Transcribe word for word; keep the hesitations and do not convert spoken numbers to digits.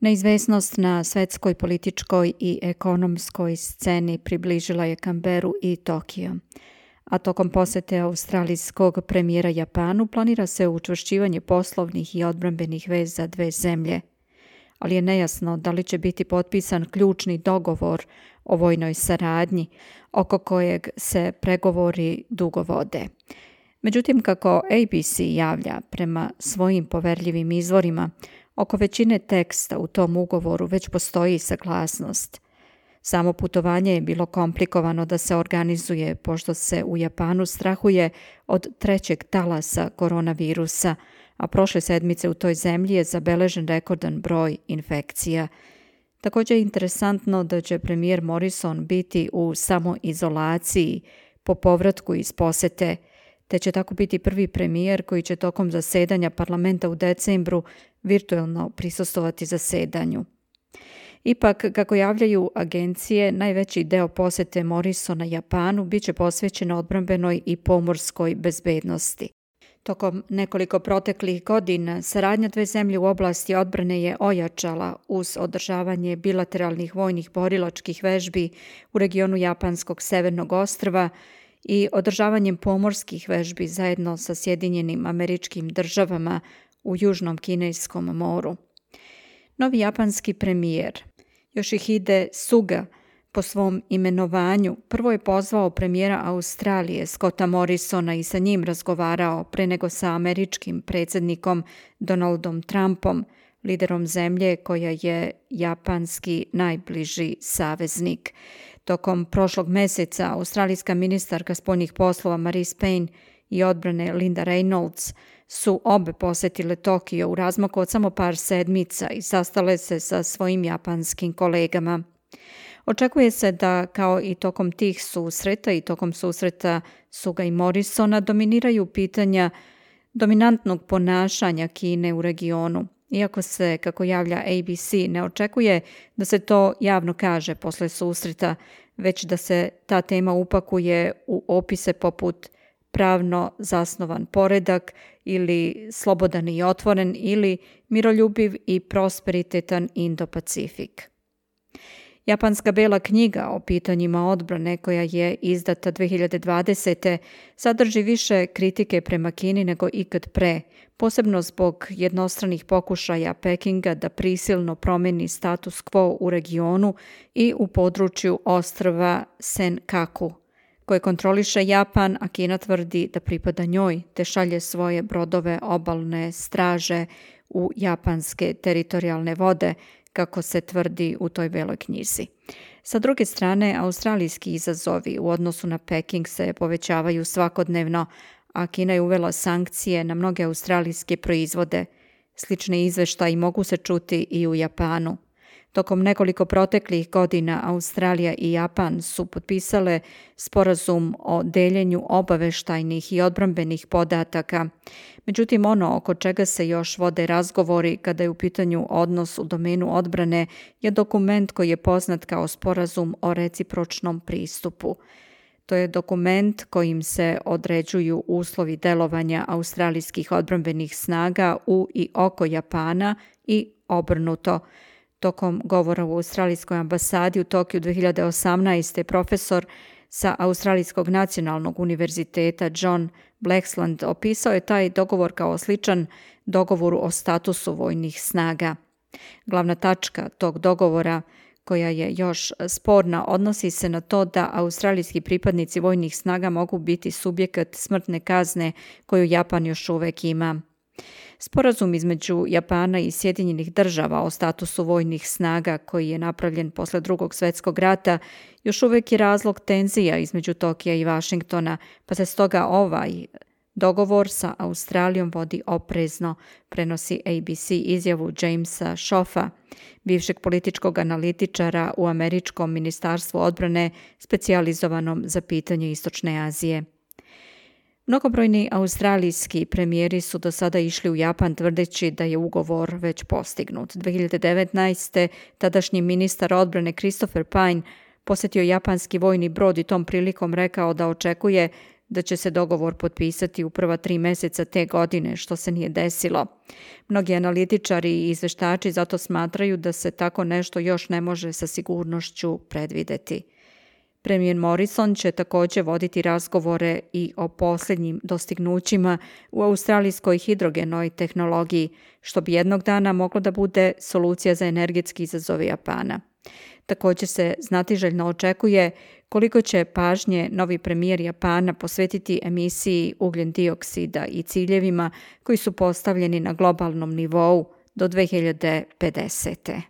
Neizvesnost na svetskoj političkoj i ekonomskoj sceni približila je Canberru i Tokio, a tokom posete australijskog premijera Japanu planira se učvršćivanje poslovnih i odbrambenih veza dve zemlje, ali je nejasno da li će biti potpisan ključni dogovor o vojnoj saradnji, oko kojeg se pregovori dugo vode. Međutim, kako A B C javlja prema svojim poverljivim izvorima, oko većine teksta u tom ugovoru već postoji saglasnost. Samo putovanje je bilo komplikovano da se organizuje, pošto se u Japanu strahuje od trećeg talasa koronavirusa, a prošle sedmice u toj zemlji je zabeležen rekordan broj infekcija. Također je interesantno da će premijer Morrison biti u samoizolaciji po povratku iz posete, te će tako biti prvi premijer koji će tokom zasedanja parlamenta u decembru virtualno prisustvovati zasedanju. Ipak, kako javljaju agencije, najveći deo posete Morrisona Japanu bit će posvećen odbrambenoj i pomorskoj bezbednosti. Tokom nekoliko proteklih godina saradnja dve zemlje u oblasti odbrane je ojačala uz održavanje bilateralnih vojnih borilačkih vežbi u regionu japanskog severnog ostrva i održavanjem pomorskih vežbi zajedno sa Sjedinjenim Američkim Državama u Južnom Kineskom moru. Novi japanski premijer Yoshihide Suga po svom imenovanju prvo je pozvao premijera Australije Scotta Morrisona i sa njim razgovarao pre nego sa američkim predsjednikom Donaldom Trumpom, liderom zemlje koja je japanski najbliži saveznik. Tokom prošlog meseca australijska ministarka spoljnih poslova Marise Payne i odbrane Linda Reynolds su obe posetile Tokio u razmaku od samo par sedmica i sastale se sa svojim japanskim kolegama. Očekuje se da, kao i tokom tih susreta i tokom susreta Suga i Morrisona, dominiraju pitanja dominantnog ponašanja Kine u regionu, iako se, kako javlja A B C, ne očekuje da se to javno kaže posle susreta, već da se ta tema upakuje u opise poput pravno zasnovan poredak ili slobodan i otvoren ili miroljubiv i prosperitetan Indo-Pacifik. Japanska bela knjiga o pitanjima odbrane koja je izdata dve hiljade dvadesete sadrži više kritike prema Kini nego ikad pre, posebno zbog jednostranih pokušaja Pekinga da prisilno promeni status quo u regionu i u području ostrva Senkaku, koje kontroliše Japan, a Kina tvrdi da pripada njoj te šalje svoje brodove obalne straže u japanske teritorijalne vode, kako se tvrdi u toj beloj knjizi. Sa druge strane, australijski izazovi u odnosu na Peking se povećavaju svakodnevno, a Kina je uvela sankcije na mnoge australijske proizvode. Slični izveštaji mogu se čuti i u Japanu. Tokom nekoliko proteklih godina Australija i Japan su potpisale sporazum o deljenju obaveštajnih i odbrambenih podataka. Međutim, ono oko čega se još vode razgovori kada je u pitanju odnos u domenu odbrane je dokument koji je poznat kao sporazum o recipročnom pristupu. To je dokument kojim se određuju uslovi delovanja australijskih odbrambenih snaga u i oko Japana i obrnuto. Tokom govora u Australijskoj ambasadi u Tokiju dve hiljade osamnaeste. profesor sa Australijskog nacionalnog univerziteta John Blaxland opisao je taj dogovor kao sličan dogovoru o statusu vojnih snaga. Glavna tačka tog dogovora, koja je još sporna, odnosi se na to da australijski pripadnici vojnih snaga mogu biti subjekat smrtne kazne koju Japan još uvek ima. Sporazum između Japana i Sjedinjenih Država o statusu vojnih snaga koji je napravljen posle Drugog svjetskog rata još uvijek je razlog tenzija između Tokija i Vašingtona, pa se stoga ovaj dogovor sa Australijom vodi oprezno, prenosi A B C izjavu Jamesa Schoffa, bivšeg političkog analitičara u američkom ministarstvu odbrane specijalizovanom za pitanje Istočne Azije. Mnogobrojni australijski premijeri su do sada išli u Japan tvrdeći da je ugovor već postignut. dve hiljade devetnaeste. tadašnji ministar odbrane Christopher Pyne posjetio japanski vojni brod i tom prilikom rekao da očekuje da će se dogovor potpisati u prva tri meseca te godine, što se nije desilo. Mnogi analitičari i izveštači zato smatraju da se tako nešto još ne može sa sigurnošću predvideti. Premijer Morrison će također voditi razgovore i o posljednjim dostignućima u australijskoj hidrogenoj tehnologiji, što bi jednog dana moglo da bude solucija za energetski izazove Japana. Također se znatiželjno očekuje koliko će pažnje novi premijer Japana posvetiti emisiji ugljen dioksida i ciljevima koji su postavljeni na globalnom nivou do dve hiljade pedesete.